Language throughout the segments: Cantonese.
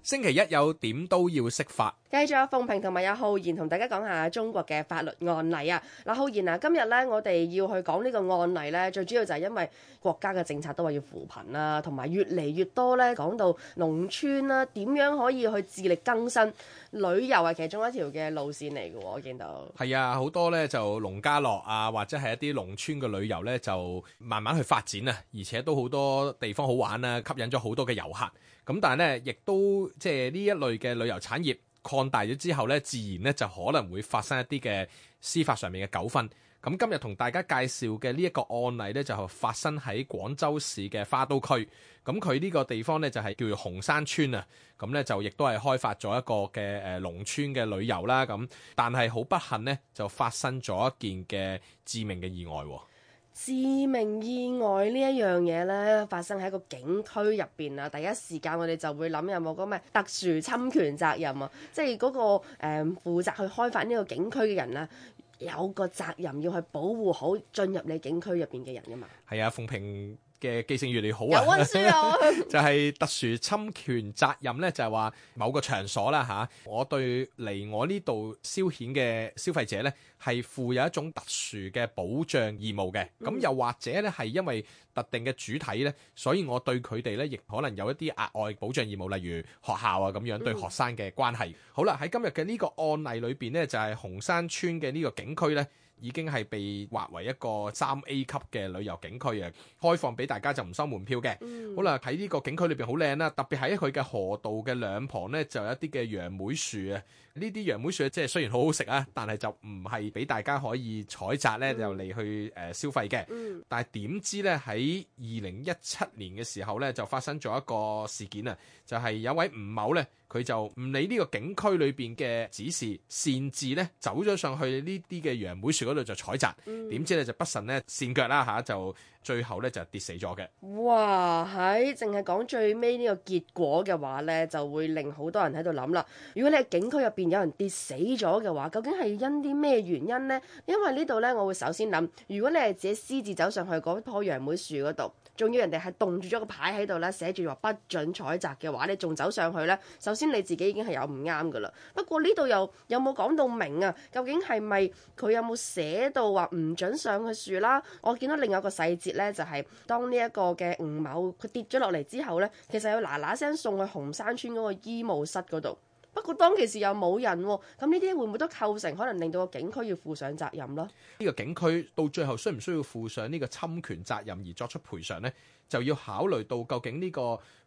星期一有點都要識法，繼續有鳳萍同埋有浩然同大家講下中國嘅法律案例啊！嗱，浩然啊，今日咧我哋要去講呢個案例咧，最主要就係因為國家嘅政策都話要扶貧啦，同埋越嚟越多咧講到農村啦，點樣可以去自力更生，旅遊係其中一條嘅路線嚟嘅喎，我見到。係啊，好多咧就農家樂啊，或者係一啲農村嘅旅遊咧，就慢慢去發展啊，而且都好多地方好玩啊，吸引咗好多嘅遊客。咁但係咧，亦都即係呢一類嘅旅遊產業擴大咗之後咧，自然咧就可能會發生一啲嘅司法上面嘅糾紛。咁今日同大家介紹嘅呢一個案例咧，就係發生喺廣州市嘅花都區。咁佢呢個地方咧就係叫做紅山村啊。咁咧就亦都係開發咗一個嘅農村嘅旅遊啦。咁但係好不幸咧，就發生咗一件嘅致命嘅意外喎。致命意外呢一樣嘢呢，發生喺個景區入邊啊！第一時間我哋就會諗有冇嗰咩特殊侵權責任啊，即係嗰個負責去開發呢個景區嘅人啊，有個責任要去保護好進入你景區入邊嘅人噶嘛。係啊，鳳萍嘅記性越嚟越好啊！有溫書啊！就係特殊侵權責任咧，就係話某個場所啦嚇，我對嚟我呢度消遣嘅消費者咧，係負有一種特殊嘅保障義務嘅。咁又或者咧係因為特定嘅主體咧，所以我對佢哋咧亦可能有一啲額外保障義務，例如學校啊咁樣對學生嘅關係。好啦，喺今日嘅呢個案例裏邊咧，就係紅山村嘅呢個景區咧，已經係被劃為一個3A 級嘅旅遊景區啊，開放俾大家就唔收門票嘅。好啦，喺呢個景區裏邊好靚啦，特別喺佢嘅河道嘅兩旁呢，就有一啲嘅楊梅樹啊。呢啲楊梅樹即係雖然好好食啊，但係就唔係俾大家可以採摘呢，就嚟去消費嘅。但係點知呢，喺2017年嘅時候呢，就發生咗一個事件啊，就係有位吳某呢，佢就唔理呢個景區裏邊嘅指示，擅自呢走咗上去呢啲嘅楊梅樹嗰度就採摘，點知呢就不慎呢跣腳啦嚇，就最後呢就跌死咗嘅。哇！喺淨係講最尾呢個結果嘅話呢，就會令好多人喺度諗啦。如果你喺景區入邊有人跌死咗嘅話，究竟係因啲咩原因呢？因為呢度呢，我會首先諗，如果你係自己私自走上去嗰棵楊梅樹嗰度，仲要人哋係棟住咗個牌喺度咧，寫住話不准採摘嘅話，你仲走上去呢？首先你自己已經係有唔啱噶啦。不過呢度又有冇講到明啊？究竟係咪佢有冇寫到話唔准上去樹啦？我見到另外一個細節呢，就係當呢一個嘅吳某佢跌咗落嚟之後呢，其實要嗱嗱聲送去紅山村嗰個醫務室嗰度。不過當其時又冇人喎，咁呢啲會唔會都構成可能令到個景區要負上責任咯？呢個景區到最後需唔需要負上呢個侵權責任而作出賠償呢？就要考慮到究竟呢個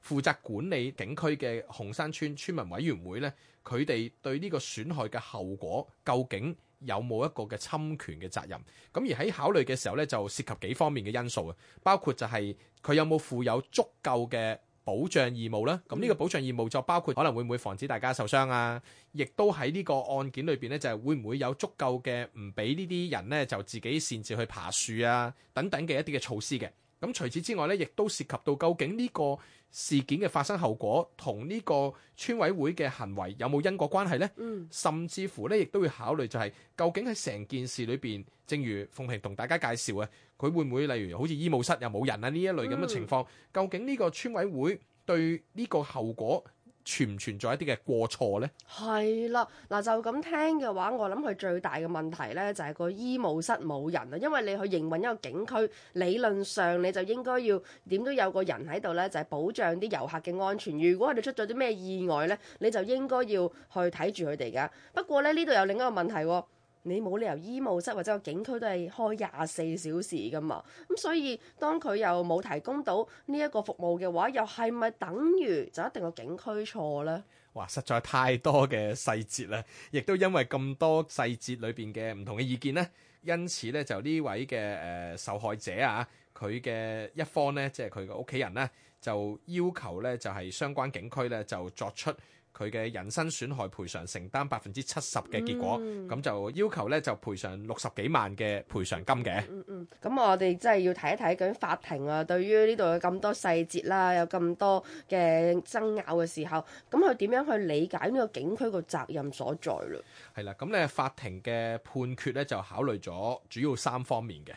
負責管理景區嘅紅山村村民委員會呢，佢哋對呢個損害嘅後果究竟有冇一個嘅侵權嘅責任？咁而喺考慮嘅時候呢，就涉及幾方面嘅因素啊，包括就係佢有冇負有足夠嘅保障義務啦，咁呢個保障義務就包括可能會唔會防止大家受傷啊，亦都喺呢個案件裏邊呢，就係會唔會有足夠嘅唔俾呢啲人呢就自己擅自去爬樹啊等等嘅一啲嘅措施嘅。咁除此之外呢，亦都涉及到究竟呢個事件嘅發生後果同呢個村委會嘅行為有冇因果關係呢？甚至乎呢，亦都會考慮就係究竟喺成件事裏邊，正如鳳萍同大家介紹啊，佢會唔會例如好似醫務室又冇人啊呢一類咁嘅情況，究竟呢個村委會對呢個後果存唔存在一啲嘅過錯呢？係啦，嗱就咁聽嘅話，我諗佢最大嘅問題呢，就係個醫務室冇人啊，因為你去營運一個景區，理論上你就應該要點都有個人喺度呢，就係保障啲遊客嘅安全。如果佢哋出咗啲咩意外呢，你就應該要去睇住佢哋噶。不過呢度有另一個問題喎。你冇理由醫務室或者個景區都係開24小時噶嘛，咁所以當佢又冇提供到呢一個服務嘅話，又係咪等於就一定個景區錯呢？哇，實在太多嘅細節啦，亦都因為咁多細節裏邊嘅唔同嘅意見呢，因此呢，就呢位嘅受害者啊，佢嘅一方呢，即係佢嘅屋企人呢，就要求呢，就係相關景區呢，就作出佢嘅人身損害賠償承擔70%嘅結果，咁就要求咧就賠償60幾萬嘅賠償金嘅。咁我哋真係要睇一睇究竟法庭啊，對於呢度有咁多細節啦，有咁多嘅爭拗嘅時候，咁佢點樣去理解呢個景區個責任所在嘞？係啦，咁咧法庭嘅判決咧就考慮咗主要3方面嘅。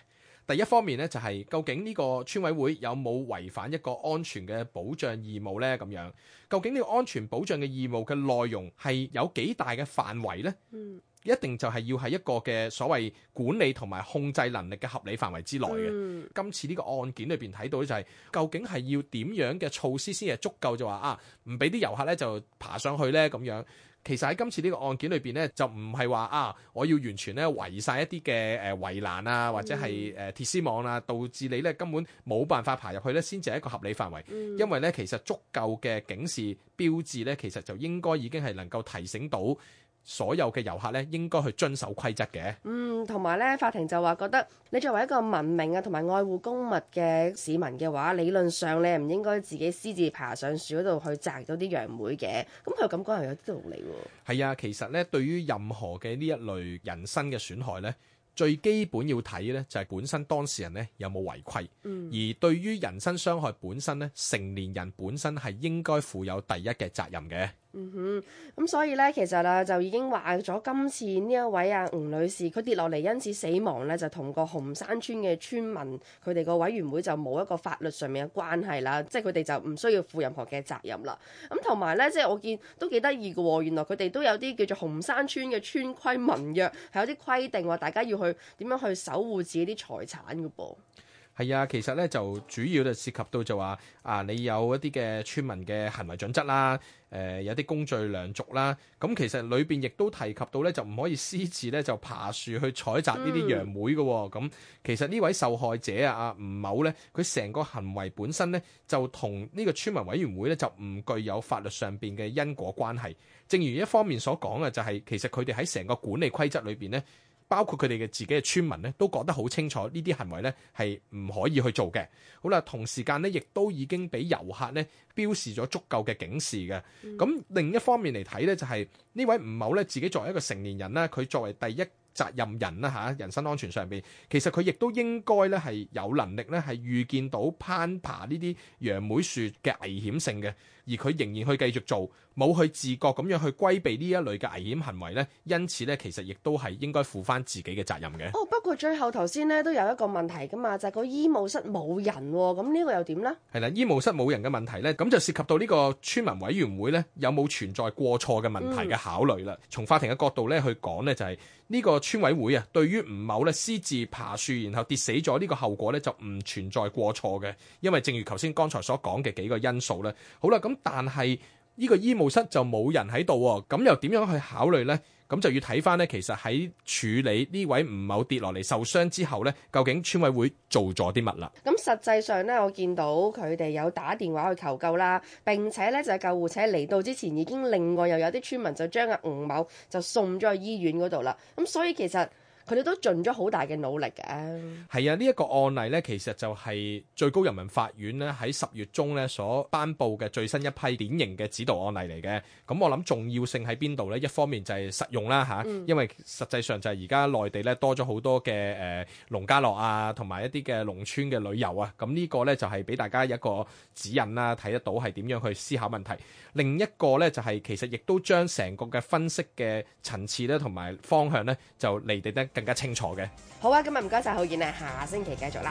第一方面咧就係究竟呢個村委會有冇違反一個安全嘅保障義務咧？咁樣究竟呢個安全保障嘅義務嘅內容係有幾大嘅範圍咧？一定就係要係一個嘅所謂管理同埋控制能力嘅合理範圍之內嘅。今次呢個案件裏邊睇到就係究竟係要點樣嘅措施先係足夠，就話唔俾啲遊客咧就爬上去咧咁樣。其實喺今次呢個案件裏邊咧，就唔係話我要完全咧圍晒一啲嘅圍欄啊，或者係鐵絲網啊，導致你咧根本冇辦法爬入去咧，先至係一個合理範圍。因為咧其實足夠嘅警示標誌咧，其實就應該已經係能夠提醒到所有嘅遊客咧，應該去遵守規則嘅。同埋咧，法庭就話覺得你作為一個文明啊同埋愛護公物嘅市民嘅話，理論上你係唔應該自己私自爬上樹嗰度去摘到啲楊梅嘅。咁佢咁講係有啲道理喎。係啊，其實咧對於任何嘅呢一類人身嘅損害咧，最基本要睇咧就係本身當事人咧有冇違規。而對於人身傷害本身咧，成年人本身係應該負有第一嘅責任嘅。咁所以咧，其實就已經話咗今次呢一位吳女士，佢跌落嚟因此死亡咧，就同個紅山村嘅村民佢哋個委員會就冇一個法律上面嘅關係啦，即係佢哋就唔需要負任何嘅責任啦。咁同埋咧，即係我見都幾得意嘅喎，原來佢哋都有啲叫做紅山村嘅村規民約，係有啲規定話大家要去點樣去守護自己啲財產嘅噃。係啊，其實咧就主要就涉及到就話你有一啲嘅村民嘅行為準則啦，有啲公序良俗啦。咁其實裏邊亦都提及到咧，就唔可以私自咧就爬樹去採摘呢啲楊梅嘅喎。咁其實呢位受害者吳某咧，佢成個行為本身咧就同呢個村民委員會咧就唔具有法律上邊嘅因果關係。正如一方面所講嘅，就係其實佢哋喺成個管理規則裏邊咧，包括佢哋嘅自己嘅村民咧，都覺得好清楚呢啲行為咧係唔可以去做嘅。好啦，同時間咧，亦都已經俾遊客咧標示咗足夠嘅警示嘅。咁另一方面嚟睇咧，就係呢位吳某咧自己作為一個成年人啦，佢作為第一責任人啦人身安全上邊，其實佢亦都應該咧係有能力咧係預見到攀爬呢啲楊梅樹嘅危險性嘅，而佢仍然去繼續做，冇去自覺咁樣去規避呢一類嘅危險行為咧，因此咧其實亦都係應該負翻自己嘅責任嘅。不過最後頭先咧都有一個問題噶嘛，就係個醫務室冇人喎，咁呢個又點呢？係啦，醫務室冇人嘅問題咧，咁就涉及到呢個村民委員會咧有冇存在過錯嘅問題嘅考慮啦。從法庭嘅角度咧去講咧，就係呢個村委會對於吳某咧私自爬樹然後跌死咗呢個後果咧就唔存在過錯嘅，因為正如頭先剛才所講嘅幾個因素咧。好啦，咁但係呢個醫務室就冇人喺度喎，咁又點樣去考慮呢？咁就要睇翻呢，其實喺處理呢位吳某跌落嚟受傷之後呢，究竟村委會做咗啲乜啦？咁實際上呢，我見到佢哋有打電話去求救啦，並且呢，就係救護車嚟到之前，已經另外又有啲村民就將吳某就送咗去醫院嗰度啦。咁所以其實佢哋都盡咗好大嘅努力嘅。係啊，呢一個案例呢，其實就係最高人民法院呢喺10月中呢所頒布嘅最新一批典型嘅指導案例嚟嘅。咁我諗重要性喺邊度呢？一方面就係實用啦因為實際上就係而家內地呢多咗好多嘅農家樂啊，同埋一啲嘅農村嘅旅遊啊。咁呢個呢，就係俾大家一個指引啦，睇得到係點樣去思考問題。另一個呢，就係其實亦都將成個嘅分析嘅層次呢，同埋方向呢，就釐定得更加清楚嘅。好啊，今日唔該晒浩然啊，下星期繼續啦。